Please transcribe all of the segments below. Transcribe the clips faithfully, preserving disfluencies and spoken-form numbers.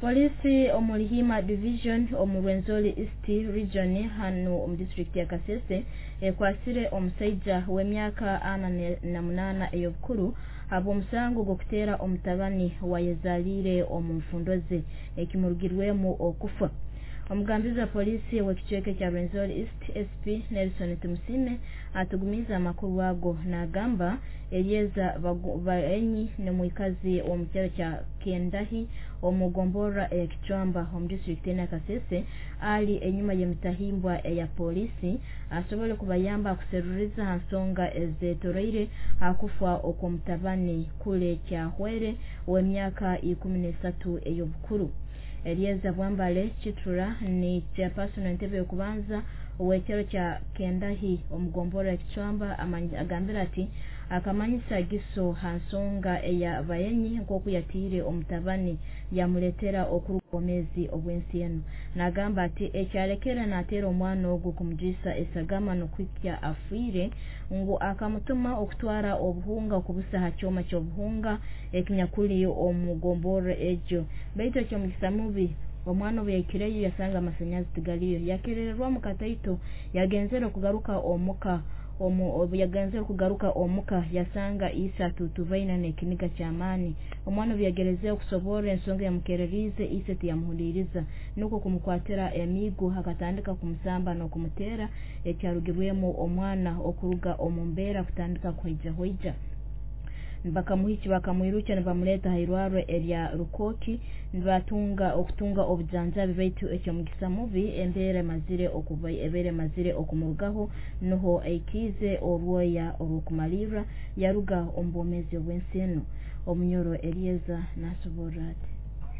Polisi omu Rihima Division omu Rwenzori East Region hanu omu district ya Kasese ekwasire omusaija w'emyaka ana na munaana ey'obukuru habw'omusango gw'okuteera omutabani wayezaliire omu nfundo ze ekimurugirwemu okufa. Omugambizi wa polisi w'ekicweka kya Rwenzori East S P Nelson Tumusime atugumiza amakuru ago n'agamba Elieza Baenyi ni mwikazi w'omu kyaro kya Kendahi omu gomborra eya Kichwamba omu district ya Kasese ali enyuma y'emitahimbwa eya polisi asobole kubayamba kuseruriza ha nsonga ezetoroire hakufa okw'omutabani kule Kyahwere w'emyaka ikumi n'esatu ey'obukuru. Elieza Bwambale Chitura ni chairperson entebe y'okubanza ow'ekyaro kya Kendahi omu gomborra ya Kichwamba agambira ati akamanyisa Giso ha nsonga eya Baenyi nk'oku yatiire omutabani yamuletera okuruga obwomeezi obw'ensi enu. Nagamba ati ekyalekera nateera omwana ogu kumujwisa esagama n'okuhikya afiire ngu akamutuma okutwara obuhunga okubusa ha kyoma ky'obuhunga ekinyakuli omu gomborra egyo, baitu ekyomugisa mubi omwana obu yahikireyo yasanga amasanyazi tigaliyo, yakerererwamu kataito yagenzere okugaruka omuka omu yagenzere kugaruka omuka yasanga ise atutubaine n'ekiniga ky'amaani. Omwana obu yagerezeho kusoborra ensonga yamukereriize, ise tiyamuhuliriza nukwo kumukwatira emiigo akatandika kumusamba n'okumuteera ekyarugirwemu omwana okuruga omu mbeera kutandika kuhaijahoija. Bakamuhiki bakamwirukya nibamuleeta ha irwarro erya Rukoki nibatunga okutunga obujanjabi, baitu ekyomugisa mubi embeera emazire okuba ebeera emazire okumurugaho nuho aikiize orwoya orw'okumalirra yaruga omu bwomeezi obw'ensi enu. Omunyoro Elieza nasoborra ati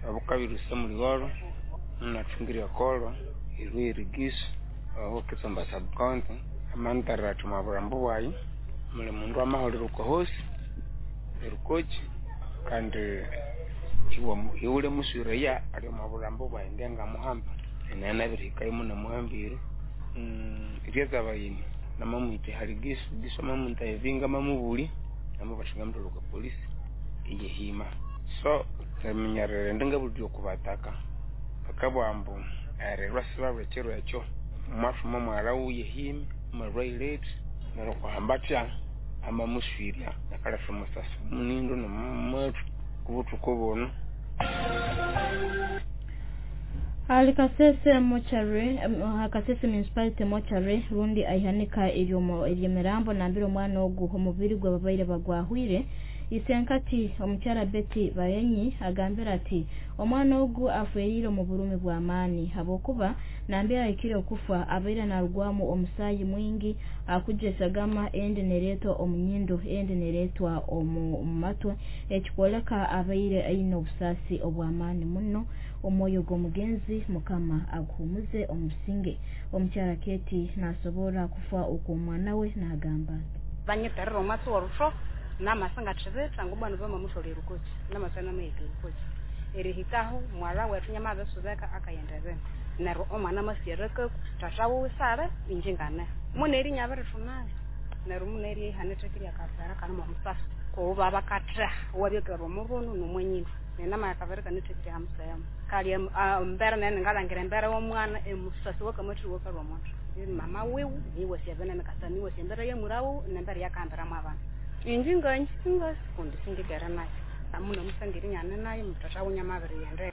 abukabiruse muligoro nathungire ekolo erwerigiso aho Kitsamba sub-county amantarira athi omwa bwayi muli mundu amahulira okohosi erukoki kandi iwule muswireya ali omwa burambu bwayi ngenga muhamba nena nabirihikayo muno muhambire Elieza Bayini namamwita hali Giso Giso mamwita evinga mamubuli namubathinga mutolo polisi eyehima so eminyarere ndinga buli okubataka bakabwambu ererwa sibarwe ekiro ekyo mwathuma mwara wuyehime marwaireti neryo kuhambatya amamuswirya akalesa omusasi munindo nomumuthu kubuthuku buno. Ali Kasese mochare Kasese municipality mochare rundi aihanika ery'emirambo nambire omwana ogu omubiri gwe babaire bagwahwire. Isenkati omukyara Betty Baenyi agambira ati omwana ogu afwerire omu burumi bw'amaani habwokuba nambere ahikire okufa abaire narugwamu omusaayi mwingi akuja esagama endi neretwa omu nyindo endi neretwa omu matwe ekikwoleka abaire aine obusaasi obw'amaani muno. Omwoyo gw'omugenzi Mukama aguhumuze omu businge. Omukyara Keti nasobora kufa okw'omwana we nagamba ati banyeterera omwatsi w'orusho namasinga thibitha ngubana bamamuthwala erukoki namasana amahika erukoki erihikaho mwala wethu nyamabisubeka akayenda bene neryo omwana amasirekaku tata wiwe sale inje ngane muneri nyabirithunali neryo muneri ihanithekirya akavera kanimo omusasi kuba bakatheha wabyakera omurunu nomwenyindu nenama yakavera kanithekirya hamusayama kali embera nene ngalangira embera w'omwana emusasi wakamathiwa kalwa omuntu mama wiwe niwe syabene kasaniwe syembera yamurawu nembera yakambiramu abana inji nganyi singasi kundi singigera nayo amuna musangiri nyane nayo mutata wunyamabiri yende.